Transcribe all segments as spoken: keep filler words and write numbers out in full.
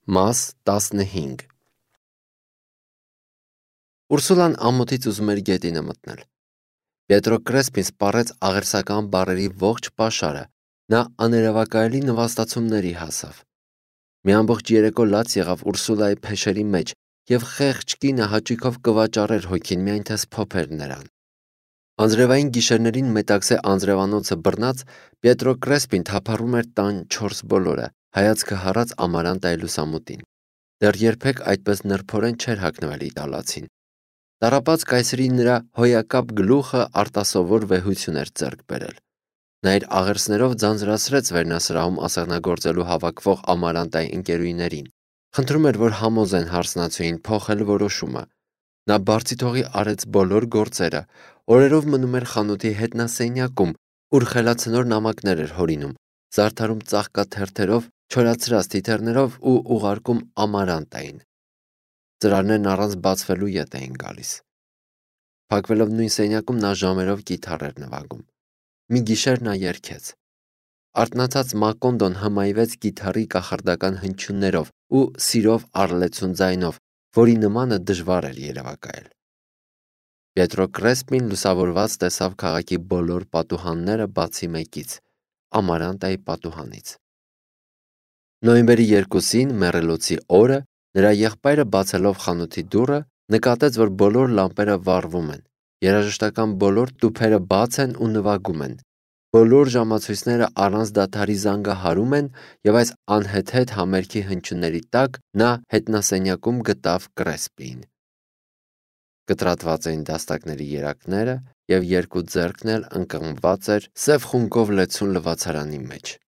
Մաս տասնհինգ Ուրսուլան ամոթից ուզում էր գետինը մտնել։ Պետրո Կրեսպին սպառեց աղերսական բառերի ողջ պաշարը, նա աներևակայելի նվաստացումների հասավ։ Մի ամբողջ երեկո լաց եղավ Ուրսուլայի փեշերի մեջ, և խեղճ կինը հաճույքով կվաճառեր հոգին, միայն թե սփոփեր նրան։ Անձրևային գիշերներին Մետաքսե անձրևանոցը բռնած, Պետրո Կրեսպին թափառում էր տան չորս բոլորը, հայացքը հառած Ամարանտայի լուսամուտին։ Դեռ երբեք այդպես նրբորեն չէր հագնվել իտալացին։ Տառապած կայսրի նրա հոյակապ գլուխը արտասովոր վեհություն էր ձեռք բերել։ Նա իր աղերսներով ձանձրացրեց վերնասրահում ասեղնագործելու հավաքվող Ամարանտայի ընկերուհիներին։ Խնդրում էր, որ համոզեն հարսնացուին փոխել որոշումը։ Նա բարձիթողի արեց բոլոր գործերը, օրերով մնում էր խանութի հետնասենյակում, ուր խելացնոր նամակներ էր հորինում, զարդարում ծաղկաթերթերով, չորացրած թիթեռներով ու ուղարկում Ամարանտային։ Ծրարներն առանց բացվելու ետ էին գալիս։ Փակվելով նույն սենյակում նա ժամերով կիթառ էր նվագում։ Մի գիշեր նա երգեց։ Արթնացած Մակոնդոն հմայվեց կիթառի կախարդական հնչյուններով ու սիրով արլեցուն ձայնով, որի նմանը դժվար էր երևակայել։ Պետրո Կրեսպին լուսավորված տեսավ քաղաքի բոլոր պատուհանները բացի մեկից՝ Ամարանտայի պատուհանից։ Նոյեմբերի երկուսին, մեռելոցի օրը, նրա եղբայրը բացելով խանութի դուռը, նկատեց, որ բոլոր լամպերը վառվում են, երաժշտական բոլոր տուփերը բաց են ու նվագում են, բոլոր ժամացույցները առանց դադարի զանգահարում են, և այս անհեթեթ համերգի հնչյունների տակ նա հետնասենյակում գտավ Կրեսպիին։ Կտրատված էին դաստակների երակները, և երկու ձեռքն էլ ընկղմված էր սև խունկով լեցուն լվացարանի մեջ։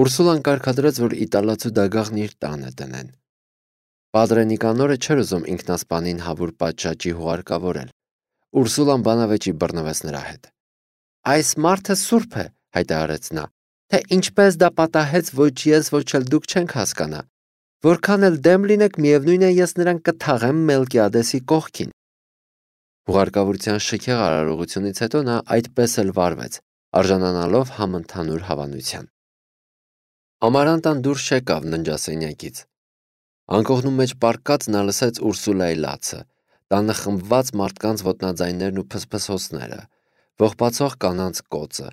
Ուրսուլան կարգադրեց, որ իտալացու դագաղն իր տանը դնեն։ Պատրե Նիկանորը չէր ուզում ինքնասպանին հավուր պատշաճի հուղարկավորել։ Ուրսուլան բանավեճի բռնվեց նրա հետ։ «Այս մարդը սուրբ է», հայտարարեց նա, «թե ինչպես դա պատահեց, ոչ ես, ոչ էլ դուք չենք հասկանա։ Որքան էլ դեմ լինեք, միևնույն է, ես նրան կթաղեմ Մելկիադեսի կողքին»։ Հուղարկավորության շքեղ արարողությունից հետո նա այդպես էլ վարվեց, արժանանալով համընդհանուր հավանության։ Ամարանտան դուրս չեկավ ննջասենյակից։ Անկողնու մեջ պառկած նա լսեց Ուրսուլայի լացը, տանը խմբված մարդկանց ոտնաձայներն ու փսփսոցները, ողբացող կանանց կոծը,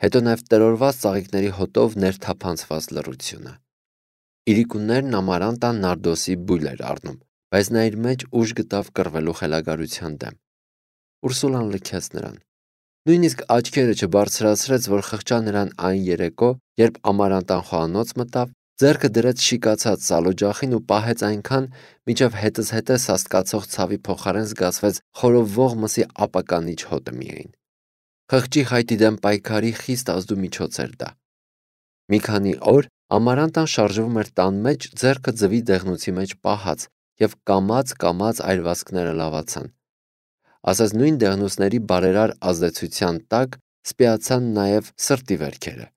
հետո նաև տրորված ծաղիկների հոտով ներթափանցված լռությունը։ Իրիկուններն Ամարանտան նարդոսի բույլ էր առնում, բայց նա իր մեջ ուժ գտավ կռվելու խելագարության դեմ։ Ուրսուլան լքեց նրան։ Նույնիսկ աչքերը չբարձրացրեց, որ խղճա նրան այն երեկո, երբ Ամարանտան խոհանոց մտավ, ձեռքը դրեց շիկացած սալօջախին ու պահեց այնքան, մինչև հետզհետե սաստկացող ցավի փոխարեն զգացվեց խորովվող մսի ապականիչ հոտը միայն։ Խղճի խայտի դեմ պայքարի խիստ ազդու միջոց էր դա։ Մի քանի օր Ամարանտան շարժվում էր տան մեջ, ձեռքը ձվի դեղնուցի մեջ պահած, և կամաց-կամաց այրվածքները լավացան։ Ասես նույն դեղնուցների բարերար ազդեցության տակ սպիացան նաև սրտի վերքերը։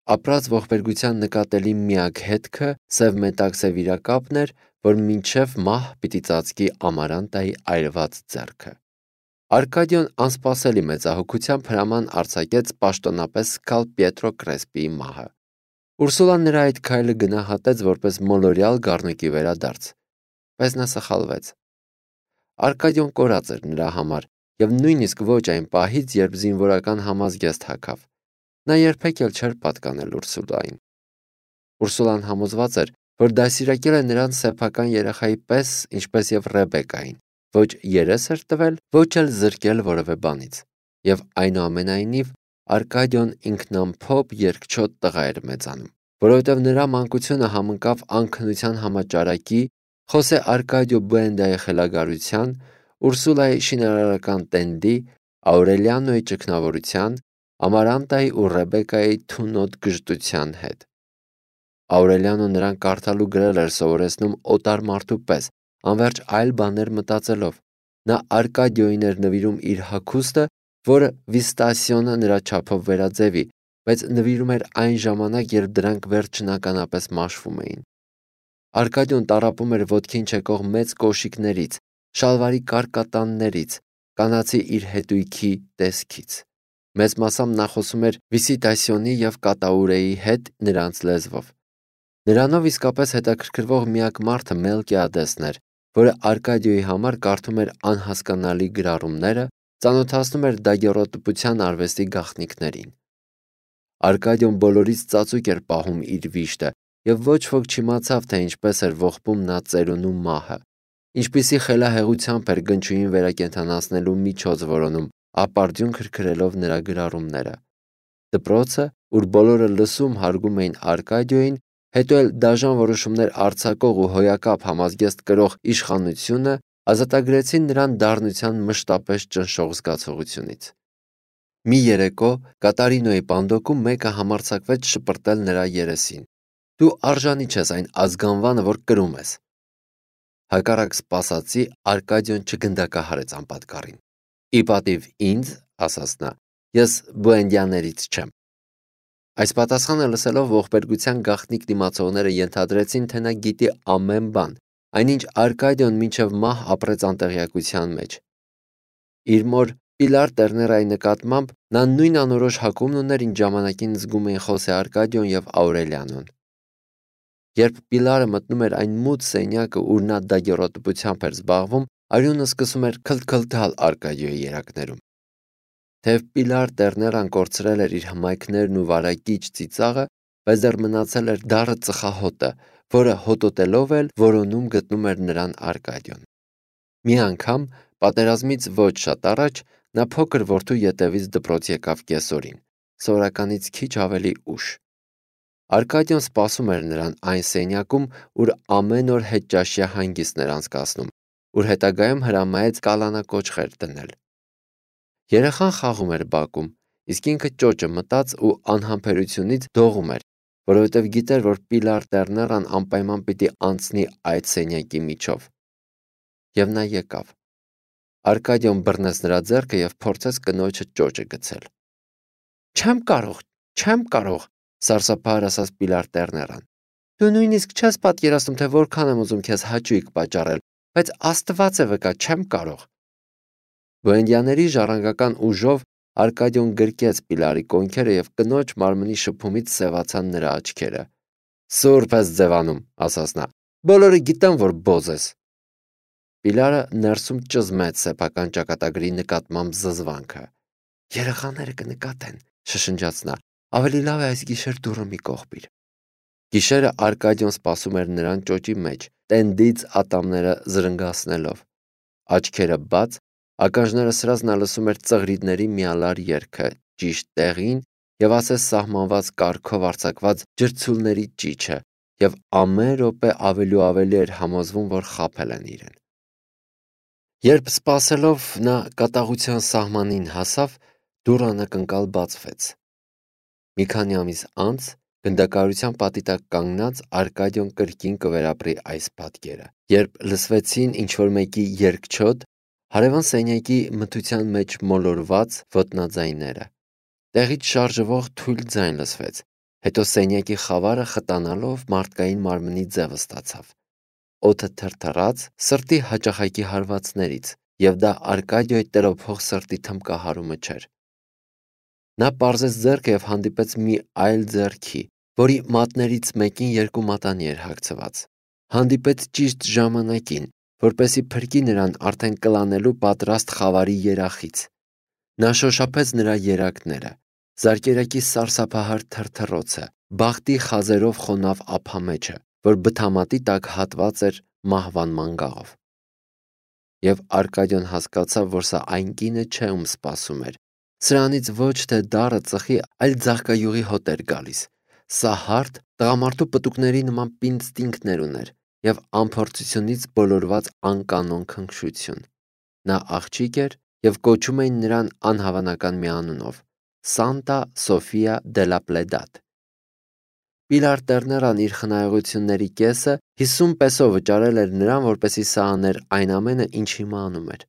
Ապրած ողբերգության նկատելի միակ հետքը սև մետաքսե վիրակապն էր, որ մինչև մահ պիտի ծածկի Ամարանտայի այրված ձեռքը։ Արկադիոն անսպասելի մեծահոգությամբ հրաման արձակեց պաշտոնապես սգալ Պետրո Կրեսպիի մահը։ Ուրսուլան նրա այդ քայլը գնահատեց որպես մոլորյալ գառնուկի վերադարձ, բայց նա սխալվեց։ Արկադիոն կորած էր նրա համար, և նույնիսկ ոչ այն պահից, երբ զինվորական համազգեստ հագավ։ Նա երբեք էլ չէր պատկանել Ուրսուլային։ Ուրսուլան համոզված էր, որ դաստիարակել է նրան սեփական երեխայի պես, ինչպես և Ռեբեկային, ոչ երես էր տվել, ոչ էլ զրկել որևէ բանից, և այնուամենայնիվ Արկադիոն ինքնամփոփ երկչոտ տղա էր մեծանում, որովհետև նրա մանկությունը համընկավ անքնության համաճարակի, Խոսե Արկադիո Բուենդայի խելագարության, Ուրսուլայի շինարարական տենդի, Աուրելիանոյի ճգնավորության, Ամարանտայի ու Ռեբեկայի թունոտ գժտության հետ։ Աուրելիանոն նրան կարդալ ու գրել էր սովորեցնում օտար մարդու պես, անվերջ այլ բաներ մտածելով։ Նա Արկադիոյին էր նվիրում իր հագուստը, որը Վիստասիոնը նրա չափով վերաձևի, բայց նվիրում էր այն ժամանակ, երբ դրանք վերջնականապես մաշվում էին։ Արկադիոն տառապում էր ոտքին չեկող մեծ կոշիկներից, շալվարի կարկատաններից, կանացի իր հետույքի տեսքից։ Մեծ մասամբ նա խոսում էր Վիսիտասիոնի և Կատաուրեի հետ նրանց լեզվով։ Նրանով իսկապես հետաքրքրվող միակ մարդը Մելկիադեսն էր, որը Արկադիոյի համար կարդում էր անհասկանալի գրառումները, ծանոթացնում էր դագերոտպության արվեստի գաղտնիքներին։ Արկադիոն բոլորից ծածուկ էր պահում իր վիշտը, եւ ոչ ոք չիմացավ, թե ինչպես էր ողբում նա ծերունու մահը, ինչպիսի խելահեղությամբ էր գնչուին վերակենդանացնելու միջոց որոնում, ապարդյուն քրքրելով նրա գրառումները։ Դպրոցը, ուր բոլորը լսում հարգում էին Արկադիոյին, հետո էլ դաժան որոշումներ արձակող ու հոյակապ համազգեստ կրող իշխանությունը ազատագրեցին նրան դառնության մշտապես ճնշող զգացողությունից։ Մի երեկո Կատարինոյի պանդոկում մեկը համարձակվեց շպրտել նրա երեսին. «Դու արժանի չես այն ազգանվանը, որ կրում ես»։ Հակառակ սպասածի Արկադիոն չգնդակահարեց անպատկառին։ «Ի պատիվ ինձ, ասաց նա, ես բուենդիաներից չեմ»։ Այս պատասխանը լսելով ողբերգության գաղտնիք դիմացողները ենթադրեցին, թե նա գիտի ամեն բան, այնինչ Արկադիոն մինչև մահ ապրեց անտեղյակության մեջ։ Իր մոր Պիլար Տերներայի նկատմամբ նա նույն անորոշ հակումն ուներ, ինչ ժամանակին զգում էին Խոսե Արկադիոն եւ Աուրելիանոն։ Երբ Պիլարը մտնում էր այն մութ սենյակը, ուր նա դագերոտպությամբ էր զբաղվում, արյունը սկսում էր քլթքլթալ Արկադիոյի երակներում։ Թեև Պիլար Տերներան կորցրել էր իր հմայքներն ու վարակիչ ծիծաղը, բայց դեռ մնացել էր դառը ծխահոտը, որը հոտոտելով էլ որոնում գտնում էր նրան Արկադիոն։ Մի անգամ, պատերազմից ոչ շատ առաջ, նա փոքր որդու ետևից դպրոց եկավ կեսօրին, սովորականից քիչ ավելի ուշ։ Արկադիոն սպասում էր նրան այն սենյակում, ուր ամեն օր հետճաշյա հանգիստն էր անցկացնում, ուր հետագայում հրամայեց կալանակոչղեր դնել։ Երեխան խաղում էր բակում, իսկ ինքը ճոճը մտած ու անհամբերությունից դողում էր, որովհետև գիտեր, որ Պիլար Տերներան անպայման պիտի անցնի այդ սենյակի միջով։ Եվ նա եկավ։ Արկադիոն բռնեց նրա ձեռքը եւ փորձեց կնոջը ճոճը գցել։ «Չեմ կարող, չեմ կարող», սարսափահար ասաց Պիլար Տերներան։ «Դու նույնիսկ չես պատկերացնում, թե որքան եմ ուզում քեզ հաճույք պատճառել, բայց Աստված է վկա, չեմ կարող»։ Բուենդիաների ժառանգական ուժով Արկադիոն գրկեց Պիլարի կոնքերը եւ կնոջ մարմնի շփումից սևացան նրա աչքերը։ «Սուրբ ես ձևանում», ասաց նա։ «Բոլորը գիտեն, որ բոզ ես»։ Պիլարը ներսում ճզմեց սեփական ճակատագրի նկատմամբ զզվանքը։ «Երեխաները կնկատեն», շշնջաց նա։ «Ավելի լավ է այս գիշեր դուռը մի կողպիր»։ Գիշերը Արկադիոն սպասում էր նրան ճոճի մեջ, տենդից ատամները զրնգացնելով։ Աչքերը բաց, ականջները սրած նա լսում էր ծղրիդների միալար երգը, ճիշտ տեղին եւ ասես սահմանված կարգով արձակված ջրցուլների ճիչը, եւ ամեն րոպե ավելի ու ավելի էր համոզվում, որ խաբել են իրեն։ Երբ սպասելով նա կատաղության սահմանին հասավ, դուռը անակնկալ բացվեց։ Մի քանի ամիս անց, գնդակահարության պատի տակ կանգնած, Արկադիոն կրկին կվերապրի այս պատկերը, երբ լսվեցին ինչ-որ մեկի երգչոտ, հարևան սենյակի մթության մեջ մոլորված ոտնաձայները։ Տեղից շարժվող թույլ ձայն լսվեց, հետո սենյակի խավարը խտանալով մարդկային մարմնի ձևը ստացավ։ Օդը թրթռաց սրտի հաճախակի հարվածներից, եւ դա Արկադիոյի տերոփող սրտի թմկահարումը չէր։ Նա պարզեց ձեռքը եւ հանդիպեց մի այլ ձեռքի, որի մատներից մեկին երկու մատանի էր հագցված։ Հանդիպեց ճիշտ ժամանակին, որպեսի փրկի նրան արդեն կլանելու պատրաստ խավարի երախից։ Նա շոշափեց նրա երակները, զարկերակի սարսափահար թրթռոցը, բախտի խազերով խոնավ ափամեջը, որ բթամատի տակ հատված էր մահվան մանգաղով։ Եվ Արկադիոն հասկացավ, որ սա այն կինը չէ, ում սպասում էր։ Սրանից ոչ թե դառը ծխի, այլ ձաղկայուղի հոտ էր գալիս։ Սա հարթ, տղամարդու պտուկների նման պինստինկտներ ուներ եւ անփորձությունից բոլորված անկանոն քնքշություն։ Նա աղջիկ էր եւ կոչում էին նրան անհավանական մի անունով՝ Սանտա Սոֆիա դե լա Պլեդատ։ Պիլար Տերներան իր խնայողությունների կեսը հիսուն պեսո վճարել էր նրան, որպեսզի սա աներ այն ամենը, ինչ հիմա անում էր։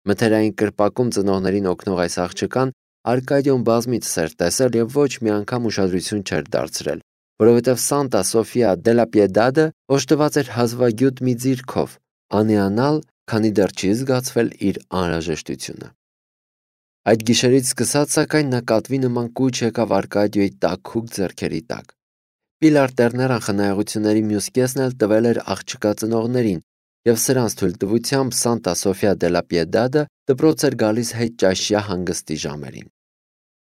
Մթերային կրպակում ծնողներին օգնող այս աղջկան Արկադիոն բազմիցս էր տեսել եւ ոչ մի անգամ ուշադրություն չէր դարձրել, որովհետեւ Սանտա Սոֆիա դե լա Պիեդադը օժտված էր հազվագյուտ մի ձիրքով, անիանալ, քանի դեռ չի զգացվել իր անհրաժեշտությունը։ Այդ գիշերից սկսած, սակայն, նա կատվի նման կուչ եկավ Արկադիոյի տաքուկ ձեռքերի տակ։ Պիլար Տերներան խնայողությունների մյուս կեսն էլ տվել էր աղջկա ծնողներին, և սրանց թույլտվությամբ Սանտա Սոֆիա դե լա Պիեդադը դպրոց էր գալիս հետճաշյա հանգստի ժամերին։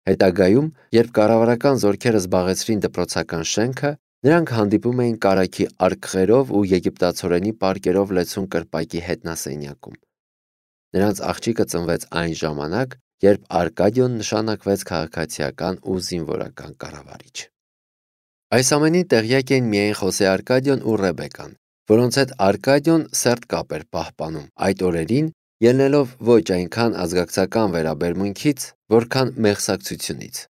Հետագայում, երբ կառավարական զորքերը զբաղեցրին դպրոցական շենքը, նրանք հանդիպում էին կարագի արկղերով ու եգիպտացորենի պարկերով լեցուն կրպակի հետնասենյակում։ Նրանց աղջիկը ծնվեց այն ժամանակ, երբ Արկադիոն նշանակվեց քաղաքացիական ու զինվորական կառավարիչ։ Այս ամենին տեղյակ էին միայն Խոսե Արկադիոն ու Ռեբեկան, որոնց հետ Արկադիոն սերտ կապ էր պահպանում այդ օրերին, ելնելով ոչ այնքան ազգակցական վերաբերմունքից, որքան մեղսակցությունից։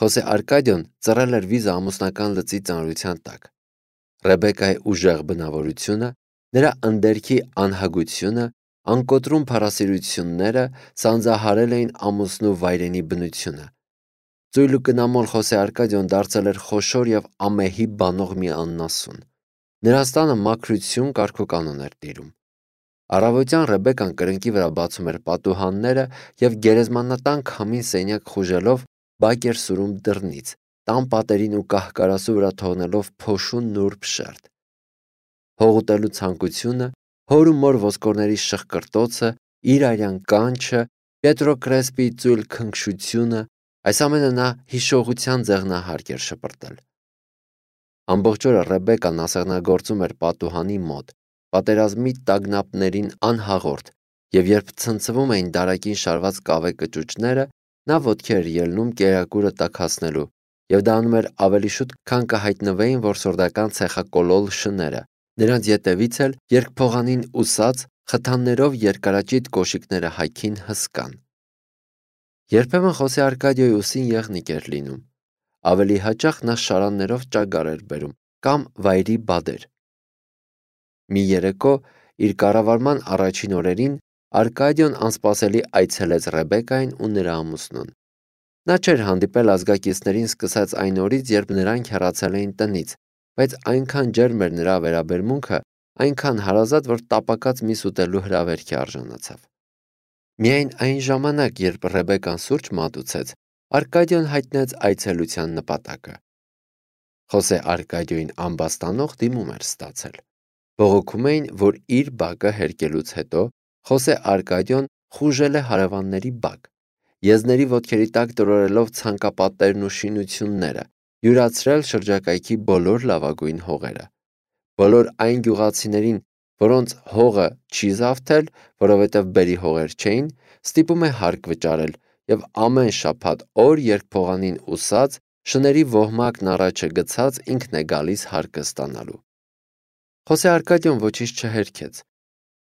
Խոսե Արկադիոն ծռել էր վիզը ամուսնական լծի ծանրության տակ։ Ռեբեկայի ուժեղ բնավորությունը, նրա ընդերքի անհագությունը, անկոտրում փառասիրությունները սանձահարել էին ամուսնու վայրենի բնությունը։ Ծույլ ու կնամոլ Խոսե Արկադիոն դարձել էր խոշոր և ամեհի բանող մի աննասուն։ Նրանց տանը մաքրություն կարգուկանոն էր տիրում։ Առավոտյան Ռեբեկան կրնկի վրա բացում էր պատուհանները և գերեզմանատան քամին սենյակ խուժելով բակ էր սուրում դռնից, տան պատերին ու կահ-կարասու վրա թողնելով փոշու նուրբ շերտ։ Հող ուտելու ցանկությունը, հոր ու մոր ոսկորների շխկրտոցը, իր արյան կանչը, Պետրո Կրեսպիի ծույլ քնքշությունը, այս ամենը նա հիշողության ձեղնահարկ էր շպրտել։ Ամբողջ օրը Ռեբեկան ասեղնագործում էր պատուհանի մոտ, պատերազմի տագնապներին անհաղորդ, և երբ ցնցվում էին դարակին շարված կավե կճուճները, նա ոտքի էր ելնում կերակուրը տաքացնելու, և դա անում էր ավելի շուտ, քան կհայտնվեին որսորդական ցեխակոլոլ շները, նրանց ետևից էլ երկփողանին ուսած, խթաններով երկարաճիտ կոշիկները հայքին հսկան։ Երբեմն Խոսե Արկադիոյի ուսին եղնիկ էր լինում, ավելի հաճախ նա շարաններով ճագար էր բերում կամ վայրի բադեր։ Մի երեկո իր կառավարման առաջին օրերին Արկադիոն անսպասելի այցելեց Ռեբեկային ու նրա ամուսնուն։ Նա չէր հանդիպել ազգակիցներին սկսած այն օրից, երբ նրանք հեռացել էին տնից, բայց այնքան ջերմ էր նրա վերաբերմունքը, այնքան հարազատ, որ տապակած միս ուտելու հրավերքի արժանացավ։ Միայն այն ժամանակ, երբ Ռեբեկան սուրճ մատուցեց, Արկադիոն հայտնեց այցելության նպատակը։ Խոսե Արկադիոյին ամբաստանող դիմում էր ստացել։ Բողոքում էին, որ իր բակը հերկելուց հետո Խոսե Արկադիոն խուժել է հարևանների բակ, եզների ոտքերի տակ տրորելով ցանկապատերն ու շինությունները, յուրացրել շրջակայքի բոլոր լավագույն հողերը։ Բոլոր այն գյուղացիներին, որոնց հողը չի զավթել, որովհետև բերի հողեր չէին, ստիպում է հարկ վճարել և ամեն շաբաթ օր երկփողանին ուսած, շների ոհմակն առաջը գցած ինքն է գալիս հարկը ստանալու։ Խոսե Արկադիոն ոչինչ չհերքեց։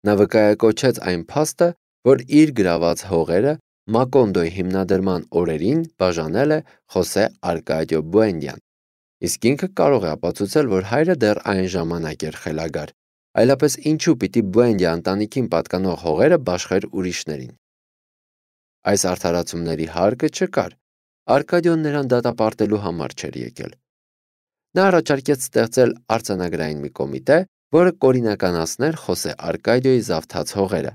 Նա վկայակոչեց այն փաստը, որ իր գրաված հողերը Մակոնդոյի հիմնադրման օրերին բաժանել է Խոսե Արկադիո Բուենդյան, իսկ ինքը կարող է ապացուցել, որ հայրը դեռ այն ժամանակ էր խելագար, այլապես ինչու պիտի Բուենդյա ընտանիքին պատկանող հողերը բաշխեր ուրիշներին։ Այս արդարացումների հարկը չկար, Արկադիոն նրան դատապարտելու համար չէր եկել։ Նա առաջարկեց ստեղծել արձանագրային մի կոմիտե, որը կօրինականացներ Խոսե Արկադիոյի զավթած հողերը,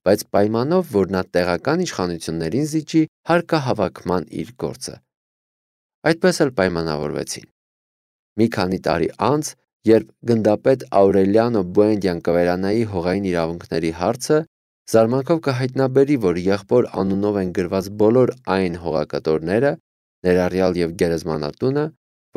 բայց պայմանով, որ նա տեղական իշխանություններին զիջի հարկահավաքման իր գործը։ Այդպես էլ պայմանավորվեցին։ Մի քանի տարի անց, երբ գնդապետ Աուրելիանո Բուենդյան կվերանայի հողային իրավունքների հարցը, զարմանքով կհայտնաբերի, որ եղբոր անունով են գրված բոլոր այն հողակտորները, ներառյալ և գերեզմանատունը,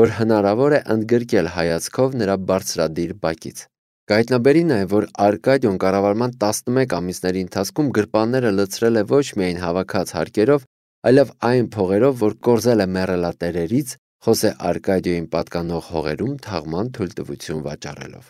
որ հնարավոր է ընդգրկել հայացքով նրա բարձրադիր բակից։ Կհայտնաբերի նաև, որ Արկադիոն կառավարման տասնմեկ ամիսների ընթացքում գրպանները լցրել է ոչ միայն հավաքած հարկերով, այլև այն փողերով, որ կորզել է մեռելատերերից, Խոսե Արկադիոյին պատկանող հողերում թաղման թույլտվություն վաճառելով։